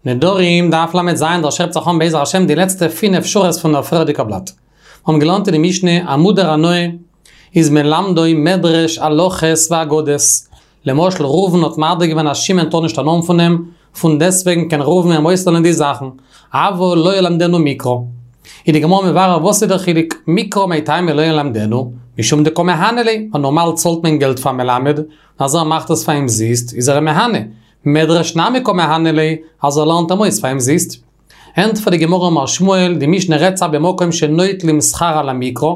נדרים, דף ל"ז, דער שעפט זיך אן בעזר השם די לעצטע פינף שורות פון דער פריערדיגער בלאט. מיר האבן געלערנט אין די משנה, א מודר הנאה איז מלמדו מדרש הלכות ואגדות. למשל ראובן האט מדיר געווען אז שמעון טאר נישט הנאה האבן פון אים, פון דעסטוועגן קען ראובן אים אויסלערנען די זאכן, אבל לא ילמדנו מקרא. איז די גמרא מברר וואס איז דער חילוק, מקרא מאי טעמא לא ילמדנו, משום דקא מהנה ליה, ווייל נארמאל צאלט מען געלט פאר מלמד, און אז ער מאכט עס פאר אומזיסט איז ער אים מהנה, מדרש נמי קא מהנה ליה, אז ער לערנט אים אויס פאר אומזיסט. ענטפערט די גמרא אמר שמואל, די משנה רעדט זיך במקום שנוטלים שכר על המקרא,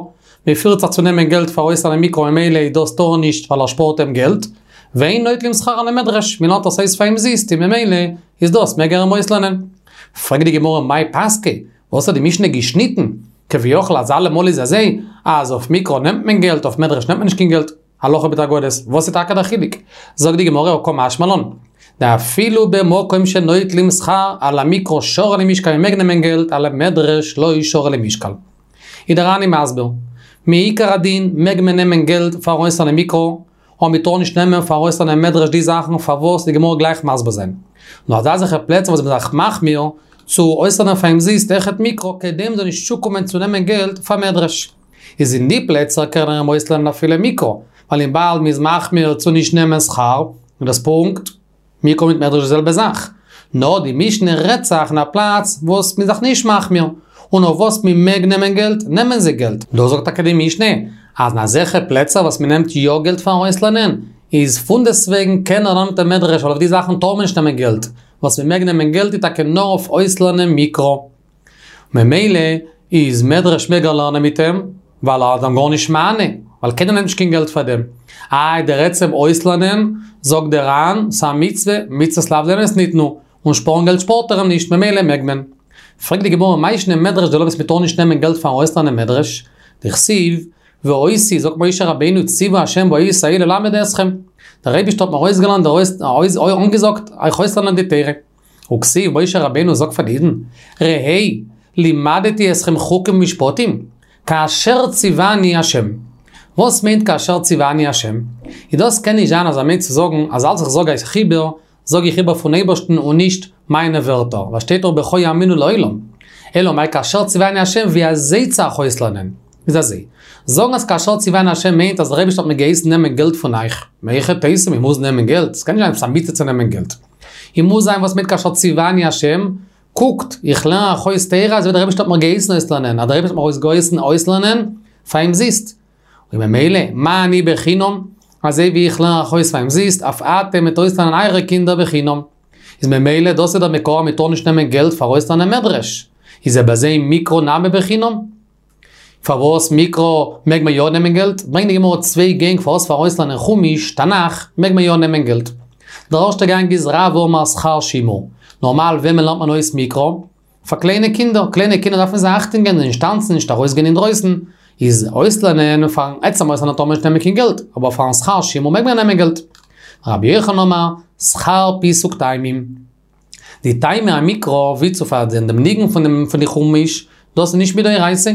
מען פירט זיך צו נעמען געלט פאר אויסלערנען מקרא ממילא איז דאס טאר ער נישט ווייל ער שפארט אים געלט, ואין נוטלים שכר על המדרש, מען לערנט עס אויס פאר אומזיסט און ממילא איז דאס מעג ער אים אויסלערנען. פרעגט די גמרא מאי פסקא, וואס האט די משנה געשניטן? כביכול אז אלעמאל איז אזוי אז אויף מקרא נעמט מען געלט אויף מדרש נעמט מען נישט קיין געלט. הלכה מיט אגדות, וואס איז טאקע דער חילוק? זאגט די גמרא הא קא משמע לן, דאפילו במקום שנוטלים שכר על המקרא שרי למשקל מ'מעג נעמען געלט על המדרש לא שרי למשקל. איז דער ר"ן מסביר, מעיקר הדין מעג מען נעמען געלט פאר אויסלערנען מקרא, אבער מען טאר נישט נעמען פאר אויסלערנען מדרש די זאכן פארוואס וועט די גמרא גלייך מסביר זיין. נאר אזא אזעלכע פלעצער וואס מ'איז זיך מחמיר צו אויסלערנען פאר אומזיסט אויכעט מקרא כדי מ'זאל נישט צוקומען צו נעמען געלט פאר מדרש. איז אין די פלעצער קען ער אים אויסלערנען אפילו מקרא, ווייל וויבאלד מ'איז מחמיר צו נישט נעמען שכר, איז דאס פונקט מקרא מיט מדרש די זעלבע זאך. נאר די משנה רעדט זיך אין א פלאץ וואס מ'איז זיך נישט מחמיר, און אויף וואס מ'מעג נעמען געלט, נעמען זיי געלט. דא זאגט טאקע די משנה, אז אין אזעלכע פלעצער וואס מ'נעמט יא געלט פארן אויסלערנען, איז פונדעסטוועגן קען ער לערנען מיט אים מדרש ווייל אויף די זאכן טאר מען נישט נעמען געלט, וואס מ'מעג נעמען געלט איז טאקע נאר אויף אויסלערנען מקרא. ממילא איז מדרש מעג ער לערנען מיט אים, ווייל ער איז אים גארנישט מהנה, ווייל קיינער נעמט נישט קיין געלט פאר דעם. איי דער עצם אויסלערנען, זאגט דער ר"ן, ס'א מצוה, מצוות לאו ליהנות ניתנו, און שפארן געלט שפארט ער אים נישט, ממילא מעג מען. פרעגט די גמרא מאי שנא מדרש דלא וואס מ'טאר נישט נעמען געלט פארן אויסלערנען מדרש, דכתיב, ואותי, זאגט משה רבינו ציווה השם באות ההיא ללמד אתכם, דער אייבישטער האט מיר אויסגעלערנט אנגעזאגט אייך אויסלערנען די תורה. וכתיב משה רבינו זאגט פאר די אידן, ראה, לימדתי אתכם חוקים ומשפטים, כאשר ציווני השם. וואס מיינט כאשר ציווני השם? איז דאס קען נישט זיין אז ער מיינט צו זאגן אז אלץ איך זאג אייך איבער, זאג איך איבער פון אייבערשטן און נישט מיינע ווערטער, ווייל שטייט דאך בך יאמינו לעולם. אלא מאי כאשר ציווני השם ווי אזוי צו אייך אויסלערנען. איז אזוי. זאגן אז כאשר ציווני השם מיינט אז דער אייבערשטער האט מיר געהייסן נעמען געלט פון אייך. מהיכי תיתי מען מוז נעמען געלט? ס'קען נישט זיין עפעס א מצוה צו נעמען געלט. און מוז זיין וואס מיינט כאשר ציווני השם, קוקט, איך לערן אייך אויס תורה אזוי ווי דער אייבערשטער האט מיר געהייסן אויסלערנען, אז דער אייבערשטער האט מיר אויס געהייסן אויסלערנען, פאר אומזיסט. און ממילא, מה אני בחינם, אזוי ווי איך לערן אייך אויס פאר אומזיסט, אף אתם וועט אויסלערנען אייערע קינדער בחינם. איז ממילא דאס איז דער מקור אז מען טאר נישט נעמען געלט פאר אויסלערנען מדרש. איז אויב אזוי מקרא נמי בחינם. פארוואס מקרא מעג מען יא נעמען געלט? ברענגט די גמרא צוויי גענג פארוואס פאר אויסלערנען חומש, תנך, מעג מען יא נעמען געלט. דער ערשטער גאנג איז רב אמר שכר שימור. נארמאל וועמען לערנט מען אויס מקרא? פאר קליינע קינדער, קליינע קינדער דארף מען זיי אכטונג געבן, נישט טאנצן, נישט ארויסגיין אינדרויסן, איז אויסלערנען, פארן עצם אויסלערנען טאר מען נישט נעמען קיין געלט, אבער פארן שכר שימור מעג מען נעמען געלט. רבי יוחנן אמר, שכר פיסוק טעמים. די טעמי המקרא ווי צו פארזען דעם ניגון פון דעם פון די חומש, דאס איז נישט מדאורייתא,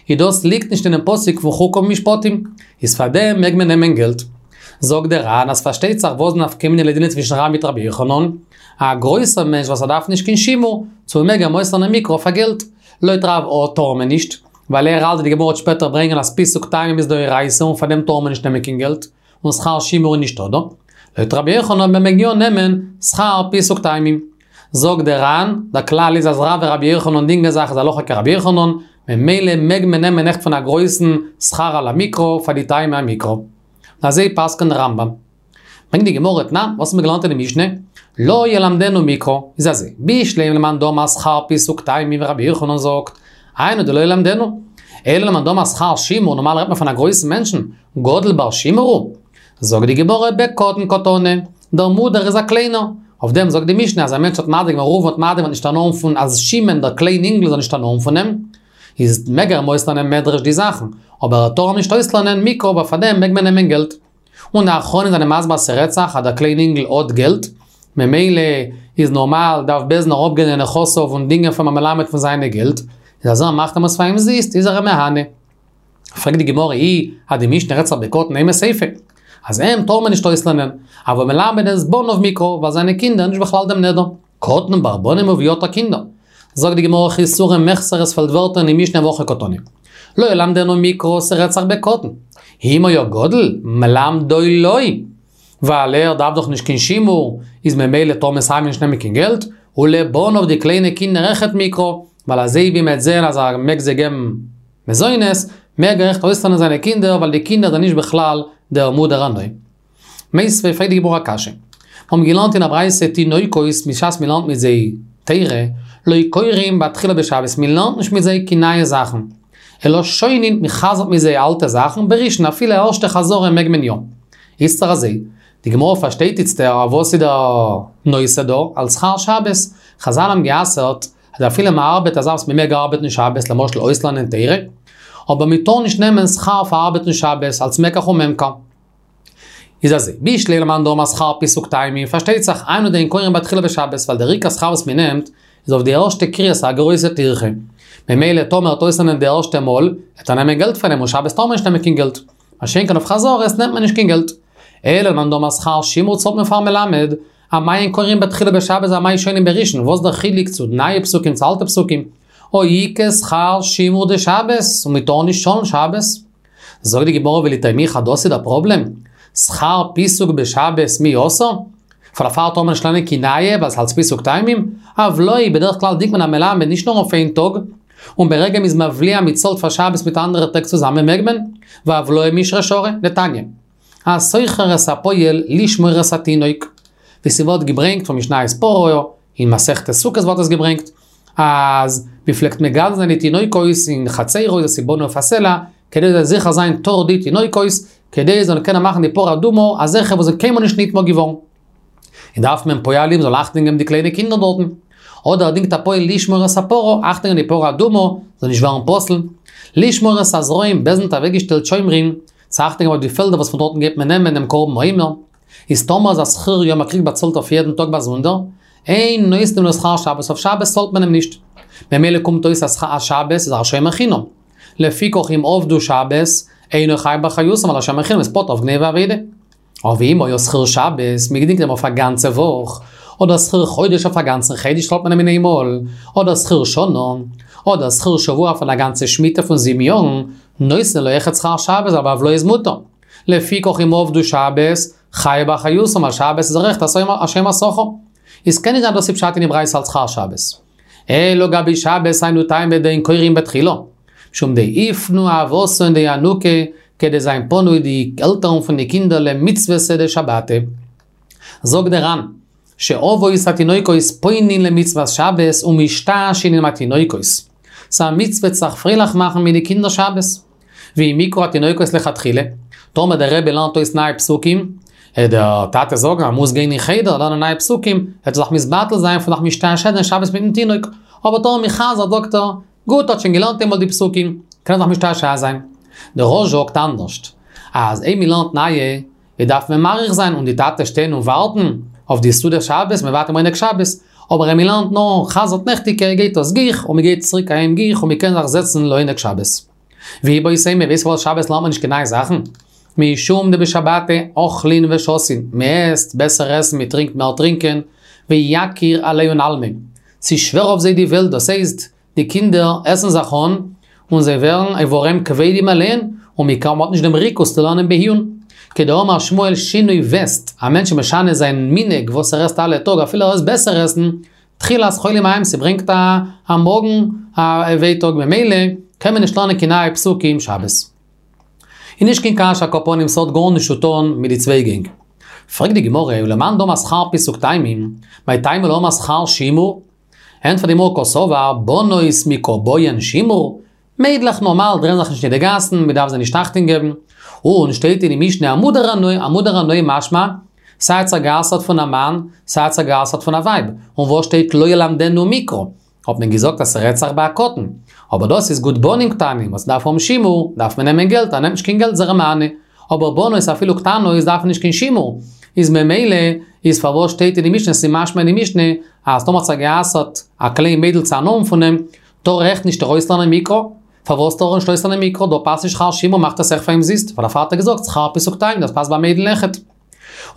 איז דאס ליגט נישט אינעם פסוק פון חוקה ומשפטים, איז פאר דעם מעג מען נעמען געלט. זאגט דער ר"ן אז פארשטייט זיך וואס נפקא מינה לדינא צווישן רב מיט רבי יוחנן, א גרויסער מענטש וואס ער דארף נישט קיין שימור, צו מעג אים אויסלערנען מקרא פאר געלט. לויט רב אט טאר מען נישט, ווייל ער האלט ווי די גמרא וועט שפעטער ברענגען אז פיסוק טעמים איז דאורייתא און פאר דעם טאר מען נישט נעמען קיין געלט. און שכר שימור איז נישטא דא. לויט רבי יוחנן מען מעג יא נעמען שכר פיסוק טעמים. זאגט דער ר"ן, דער כלל איז אז רב ורבי יוחנן דינגען זיך איז הלכה כרבי יוחנן, ממילא מעג מען נעמען אויכעט פון א גרויסן שכר על המקרא פאר די טעמי המקרא. און אזוי פסק'נט דער רמב"ם. ברענגט די גמרא תנן, וואס האט מען געלערנט אין די משנה? לא ילמדנו מקרא, איז אזוי, בשלמא למאן דאמר שכר פיסוק טעמים ווי רבי יוחנן זאגט, היינו דלא ילמדנו. אלא למאן דאמר שכר שימור, נארמאל רעדט מען פון א גרויסן מענטשן, גדול בר שימור הוא. זאגט די גמרא בקטן קתני, דער מודר איז א קליינער. אויף דעם זאגט די משנה אז א מענטש האט מדיר געווען ראובן האט מדיר געווען נישט הנאה האבן פון אז שמעון דער קליין אינגל זאל נישט הנאה האבן פון אים, איז מעג ער אים אויסלערנען מדרש די זאכן, אבער ער טאר אים נישט אויסלערנען מקרא ווייל פאר דעם מעג מען נעמען געלט. און די אחרונים זענען מסביר אז ס'רעדט זיך אז דער קליין אינגל האט געלט, ממילא איז נארמאל דארף בית דין אראפגיין לנכסיו און דינגען פון א מלמד פון זיינע געלט, איז אז ער מאכט אים עס פאר אומזיסט איז ער אים מהנה. פרעגט די גמרא אי אז די משנה רעדט זיך בקטן אימא סיפא, אז אים טאר מען נישט אויסלערנען, אבל מלמד את בניו מקרא ווייל זיינע קינדער נישט בכלל דעם נדר. קטן בר בנים הוא ואביתר קינדער. זאגט די גמרא חסורי מחסר עס פעלט ווערטער אין די משנה והכי קתני. לא ילמדנו מקרא ס'רעדט זיך בקטן. אם היה גדול, מלמדו לא. ווייל ער דארף דאך נישט קיין שימור, איז ממילא טאר מען סייווי נישט נעמען קיין געלט, ולבניו די קליינע קינדער אויכעט מקרא, ווייל אזוי ווי מ'עט זעהן אז ער מעג זיי געבן מזונות, מעג ער אויכעט אויסלערנען זיינע קינדער ווייל די קינדער זענען נישט בכלל דער מודר הנאה. מיתיבי פרעגט די גמרא א קשיא. מיר האבן געלערנט אין א ברייתא תינוקות בשעת מ'לערנט מיט זיי תורה, לא קורין בתחילה בשבת, מ'לערנט נישט מיט זיי קיין נייע זאכן, אלא שונין, מ'חזר'ט מיט זיי אלטע זאכן, בראשון אפילו א ערשטע חזרה מעג מען יא. איצטער אזוי, די גמרא פארשטייט איצטער אויף וואס איז דער נושא דא, על שכר שבת, חזל האבן גע'אסר'ט אז אפילו מען ארבעט א זאך וואס מען מעג ארבעטן שבת, למשל אויסלערנען תורה, אבער מען טאר נישט נעמען שכר פאר ארבעטן שבת אלס מקח וממכר. איז אזוי, בשלמא למאן דאמר שכר פיסוק טעמים, פארשטייט זיך, היינו דאין קורין בתחילה בשבת, ווייל דער עיקר שכר וואס מען נעמט, איז אויף די ערשטע קריאה, ס'איז א גרויסע טירחה. ממילא טאמער ער וועט אויסלערנען די ערשטע מאל, וועט ער נעמען געלט פון אים, און שבת טאר מען נישט נעמען קיין געלט. מה שאין כן אויף חזרות נעמט מען נישט קיין געלט. אלא למאן דאמר שכר שימור צאלט מען פארן מלמד, אמאי אין קורין בתחילה בשבת ואמאי שונין בראשון, וואס דער חילוק צו נייע פסוקים צו אלטע פסוקים? הא איכא שכר שימור דשבת, און מען טאר נישט צאלן שבת. זאגט די גמרא ולטעמיך אז דאס איז דער פראבלעם? שכר פיסוק בשבת מי אסור? פאר דערפאר טאר מען נישט לערנען קיין נייע ווייל ס'אלץ פיסוק טעמים? הבלעה בדרך כלל דינגט מען א מלמד נישט נאר אויף איין טאג, און ברגע מ'איז מבליע מ'צאלט פאר שבת מיט אנדערע טעג צוזאמען מעג מען, והבלעה מישרא שרי, דתניא. השוכר את הפועל לשמור את התינוק. ווי ס'ווערט געברענגט פון משניות פרה, אין מסכת סוכות ווערט עס געברענגט, אז מ'פלעגט מגדל זיין די תינוקות אין חצרות וואס איז בנוי אויף א סלע, כדי זאל זיכער זיין טהור די תינוקות, כדי זיי זאלן קענען מאכן די פרה אדומה, אזעלכע וואס זענען קיינמאל נישט נטמא געווארן. און דארף מען פועלים זאל אכטונג געבן די קליינע קינדער דארטן. אדער ער דינגט א פועל לשמור את הפרה, אכטונג געבן די פרה אדומה זאל נישט ווערן פסול. לשמור את הזרעים, בית דין האט אוועקגעשטעלט שומרים צו אכטונג געבן אויף די פעלדער וואס פון דארטן גייט מען נעמען דעם קרבן עומר. איז טאמער איז א שכיר יום ער קריגט באצאלט אויף יעדן טאג באזונדער, אין נותנין לו שכר שבת אויף שבת צאלט מען אים נישט. ממילא קומט אויס אז שבת איז א שומר חינם. לפיכך אם עבדו שבת, אינו חייב באחריותם ווייל א שומר חינם איז פטור אויף גניבה ואבידה. אבער ואם היה שכיר שבת, מ'געדינגט אים אויף א גאנצע וואך, אדער שכיר חודש אויף א גאנצן חודש צאלט מען אים אין איינמאל, אדער שכיר שנה, אדער שכיר שבוע פון א גאנצע שמיטה פון זיבן יארן, נותנין לו אויכעט שכר שבת ווייל בהבלעה איז מותר. לפיכך אם עבדו שבת, חייב באחריותם ווייל שבת איז ער אויכעט א שומר שכר. איז קען נישט זיין דאס איז פשט אין די ברייתא אלס שכר שבת. אלא גבי שבת היינו טעמא דאין קורין בתחילה. משום דיפנו אבהתין דינוקא, כדי זיין פנוי די עלטערן פון די קינדער למצוותא דשבתא. זאגט דער ר"ן, שאבות התינוקות פונין למצוות שבת ומשתעשעין עם התינוקות. ס'איז א מצוה צו זיך פרייליך מאכן מיט די קינדער שבת. ואם יקרא התינוקות לכתחילה, טאמער דער רבי לערנט אויס נייע פסוקים, העט דער טאטע זאגן אז מוז גיין אין חדר לערנען נייע פסוקים, העט ער זיך מתבטל זיין פון זיך משתעשע זיין שבת מיטן תינוק, אבער טאמער מ'חזר'ט זאגט ער, גוט האט שוין געלערנט איינמאל די פסוקים, קען ער זיך משתעשע זיין. דער רא"ש זאגט אנדערשט, אז אויב מ'לערנט נייע, איז דארף מען מאריך זיין און די טאטע שטיין און ווארטן אויף די סעודת שבת, מ'ווארט אים עונג שבת, אבער אויב מ'לערנט נאר חזר'ט נעכטיגע גייט עס גיך און מ'גייט צוריק אהיים גיך און מ'קען זיך זעצן לעונג שבת. ואיבעית אימא, ווייסט פארוואס שבת לערנט מען נישט קיין נייע זאכן? משום דבשבתא אוכלין ושותין, מ'עסט בעסער עסן מ'טרינקט מער טרינקען, ויקיר עלייהו עלמא, ס'איז שווער אויף זיי די וועלט, דאס הייסט, די קינדער עסן זיך אן, און זיי ווערן איברים כבדים עליהן, ומעיקר מ'האט נישט דעם ריכוז צו לערנען בעיון. כדאמר שמואל שינוי וסת, א מענטש איז משנה זיין מנהג וואס ער עסט אלע טאג אפילו ער עסט בעסער עסן, תחילת חולי מעיים ס'ברענגט א א מאגן א ווייטאג ממילא קען מען נישט לערנען קיין נייע פסוקים שבת. איז נישט קיין קשיא על כל פנים ס'האט גארנישט צו טון מיט די צוויי גענג. פרעגט די גמרא ולמאן דאמר שכר פיסוק טעמים, מאי טעמא לא אמר שכר שימור? ענטפערט די גמרא קסבר בנות מי קא בעיין שימור, מיידלעך נארמאל דרייען זיך נישט אין די גאסן, מען דארף זיי נישט אכטונג געבן. און שטייט אין די משנה א מודר הנאה, א מודר הנאה משמע, סיי האט זיך גע'אסר'ט פון א מאן, סיי האט זיך גע'אסר'ט פון א ווייב. און וואס שטייט לא ילמדנו מקרא? האט מען געזאגט אז ס'רעדט זיך ביי א קטן. אבער דאס איז גוט בנים קטנים וואס דארף האבן שימור, דארף מען נעמען געלט, אז נעמט נישט קיין געלט איז ער א מענה. אבער בנות אפילו קטנות דארפן נישט קיין שימור, איז ממילא איז פארוואס שטייט אין די משנה, ס'איז משמע אין די משנה אז טאמער האט זיך גע'אסר'ט א קליין מיידל צו הנאה האבן פון אים, טאר ער אויכעט נישט אויסלערנען מקרא? פארוואס טאר ער נישט אויסלערנען מקרא? דא פאסט נישט שכר שימור מאכט עס אויך פאר אומזיסט, ווייל דערפאר האט ער געזאגט שכר פיסוק טעמים דאס פאסט ביי מיידל אויכעט.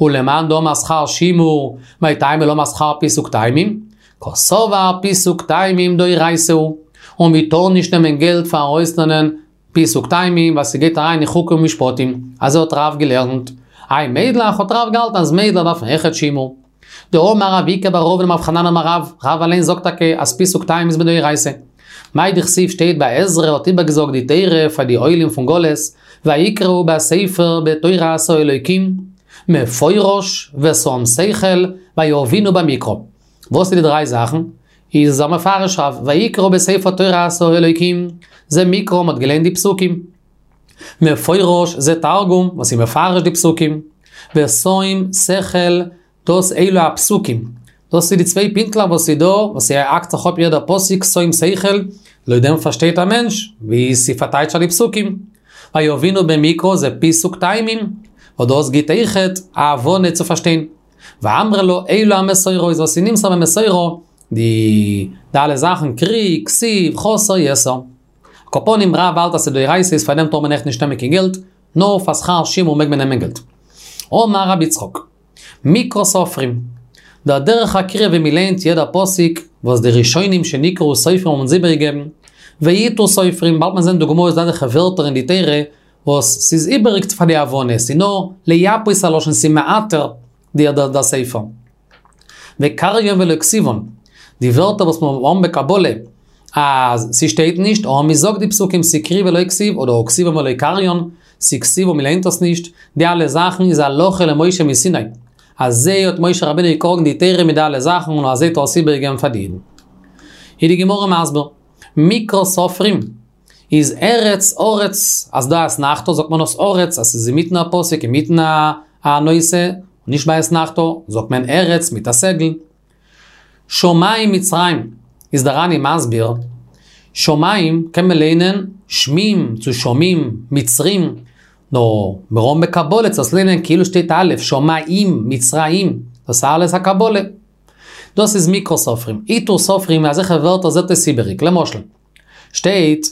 ולמאן דאמר שכר שימור, מאי טעמא לא אמר שכר פיסוק טעמים? קסבר פיסוק טעמים דאורייתא הוא, און מ'טאר נישט נעמען געלט פאר ארויסלערנען פיסוק טעמים ווייל ס'גייט אריין אין חוקים ומשפטים, אזוי האט רב געלערנט. איי מיידלעך האט רב געהאלטן אז מיידלעך דארפן אויכעט שימור. דאמר אביקא בר רבין אמר רב חנן אמר רב, רב אליין זאגט טאקע אז פיסוק טעמים איז מדאורייתא. מאי דכתיב שטייט ביי עזרא האט איבערגעזאגט די תורה פאר די עולים פון גלות, ויקראו בספר בתורת האלוקים, מפורש ושום שכל ויבינו במקרא. וואס איז די דריי זאכן? איז ער מפרש רב, ויקראו בספר תורת האלוקים, זה מקרא מ'האט געליינט די פסוקים. מפורש זה תרגום וואס איז מפרש די פסוקים. ושום שכל דאס אלו הפסוקים. דאס איז די צוויי פינטלעך וואס איז דא, וואס ס'האקט זיך אפ יעדע פסוק שום שכל, לויט דעם פארשטייט א מענטש ווי ס'פארטייטשט די פסוקים. ויבינו במקרא זה פיסוק טעמים, וואס דאס גיבט אויכעט א הבנה צו פארשטיין. ואמרי לה אלו המסורות וואס איז נמסר במסורה, די די אלע זאכן קרי, כתיב, חסר, יתר. על כל פנים רב האלט אז ס'דאורייתא איז פאר דעם טאר מען עכט נישט נעמען קיין געלט, נאר פאר שכר שימור מעג מען נעמען געלט. אמר רבי יצחק, מקרא סופרים, דער דרך הקריאה ווי מ'ליינט יעדע פסוק וואס די ראשונים שנקראו סופרים האבן אונז איבערגעגעבן, ועיטור סופרים, באלד מען זען דוגמאות אזעלכע ווערטער אין די תורה וואס ס'איז איבעריג פאר די הבנה, ס'איז נאר לייפות הלשון, ס'איז מעטר די דער ספר. וקריין ולא כתיבן, די ווערטער וואס מיר האבן בקבלה אז ס'שטייט נישט, אבער מ'זאגט די פסוקים ס'קרי ולא כתיב, אדער כתיבן ולא קריין, ס'כתיב און מ'ליינט עס נישט, די אלע זאכן איז הלכה למשה מסיני. אזוי האט משה רבינו געקראגן די תורה מיט די אלע זאכן און אזוי האט ער עס איבערגעגעבן פאר די אידן. איז די גמרא מסביר, מקרא סופרים איז ארץ ארץ, אז דא אתנחתא זאגט מען עס ארץ, אז ס'איז אינמיטן א פסוק אינמיטן א נושא, נישט ביי אתנחתא, זאגט מען ארץ מיט א סגול. שמים מצרים, איז דער ר"ן מסביר, שמים קען מען ליינען שמים צו שמים, מצרים, נאר מיר האבן בקבלה צו עס ליינען כאילו שטייט א', שמים, מצרים, דאס איז אלעס א קבלה. דאס איז מקרא סופרים. עיטור סופרים אזעלכע ווערטער זעט אויס איבעריג. למשל, שטייט,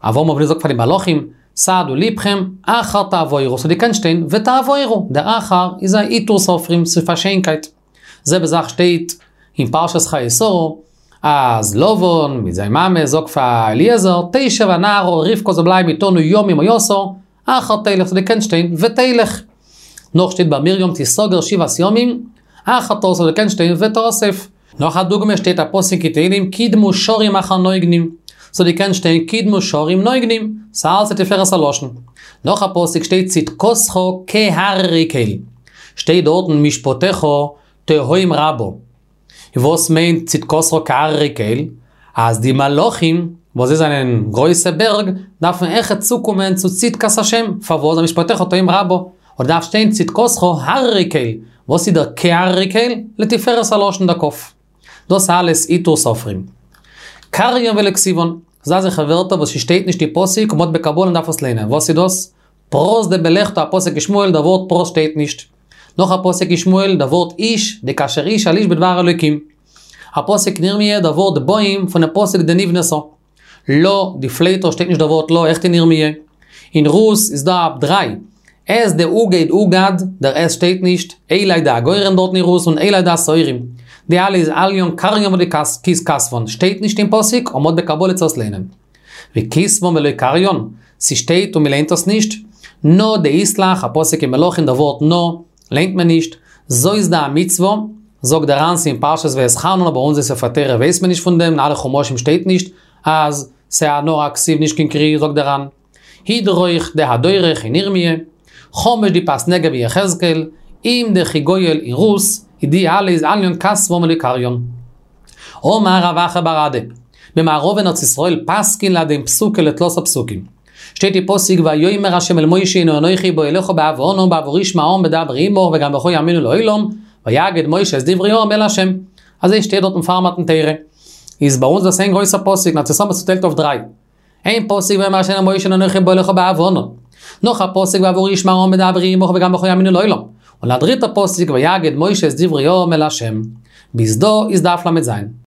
אברהם אבינו זאגט פאר די מלאכים, סעדו לבכם, אחר תעבורו, ס'האט געקענט שטיין ותעבורו, דער אחר איז א עיטור סופרים, ס'איז פאר שיינקייט. זעלבע זאך שטייט אין פרשת חיי שרה, אז לבן מיט זיין מאמע זאגט פאר אליעזר, תשב הנערה רבקה זאל בלייבן איתנו ימים או עשר, אחר תלך, ס'האט געקענט שטיין ותלך. נאך שטייט ביי מרים תסגר שבעת ימים, אחר תאסף ס'האט געקענט שטיין ותאסף. נאך א דוגמא שטייט א פסוק אין תהלים קדמו שרים אחר נוגנים, ס'האט געקענט שטיין קדמו שרים נוגנים, ס'אלץ לתפארת הלשון. נאך א פסוק שטייט צדקתך כהררי קל, שטייט דארטן משפטיך תהום רבה. וואס מיינט צדקתך כהררי קל? אז די מלאכים, וואס זיי זענען גרויסע בערג, דארפן אויכעט צוקומען צו צדקת השם, פארוואס? משפטיך תהום רבה. און דארף שטיין צדקתך הררי קל, וואס איז דער כהררי קל? לתפארת הלשון דער כ"ף. דאס אלעס עיטור סופרים. קריין ולא כתיבן, ס'דא אזעלכע ווערטער וואס ס'שטייט נישט אין פסוק און מ'האט בקבלה און מ'דארף עס ליינען, וואס איז דאס? פרת דבלכתא א פסוק אין שמואל דער ווארט פרת שטייט נישט. נאך א פסוק אין שמואל דער ווארט איש דכאשר איש אל איש בדבר אלוקים. א פסוק אין ירמיה דער ווארט באים פונעם פסוק דנבנתה. לה דפליטה שטייט נישט דער ווארט לה אויכעט אין ירמיה. אין רות איז דא דריי. את דאוגד אוגד, דער את שטייט נישט, אלי דהגורן דארטן אין רות און אלי דהשעורים. די אלע איז אליין קריין ולא כתבן, שטייט נישט אין פסוק און מ'האט בקבלה צו עס ליינען. וכתבן ולא קריין, ס'שטייט און מ'ליינט עס נישט. נא דאית לך, א פסוק אין מלכים דער ווארט נא, ליינט מען נישט. זאת דהמצוה, זאגט דער ר"ן ס'איז אין פרשת ואתחנן אבער אונזער ספר תורה ווייסט מען נישט פון דעם, אין אלע חומשים שטייט נישט אז ס'איז נאר א כתיב נישט קיין קרי, זאגט דער ר"ן. הדרוך דהדורך אין ירמיה, חומש דפאת נגב אין יחזקאל, אם דכי גואל אין רות, איז די אלע איז אליין כתבן ולא קריין. אמר רב אחא בר אדא, במערבא אין ארץ ישראל פסקין להדין פסוקא לתלתא פסוקים. שטייט אין פסוק ויאמר ה' אל משה הנה אנכי בא אליך בעב הענן בעבור ישמע העם בדברי עמך וגם בך יאמינו לעולם, ויגד משה את דברי העם אל ה'. אזוי שטייט דארטן פאר מתן תורה. איז ביי אונז דאס איין גרויסער פסוק, אין ארץ ישראל האט מען עס צוטיילט אויף דריי. איין פסוק ויאמר ה' אל משה הנה אנכי בא אליך בעב הענן. נאך א פסוק בעבור ישמע העם בדברי עמך וגם בך יאמינו לעולם. און א דריטע פסוק ויגד משה את דברי העם אל ה'. ביז דא איז דף ל"ז.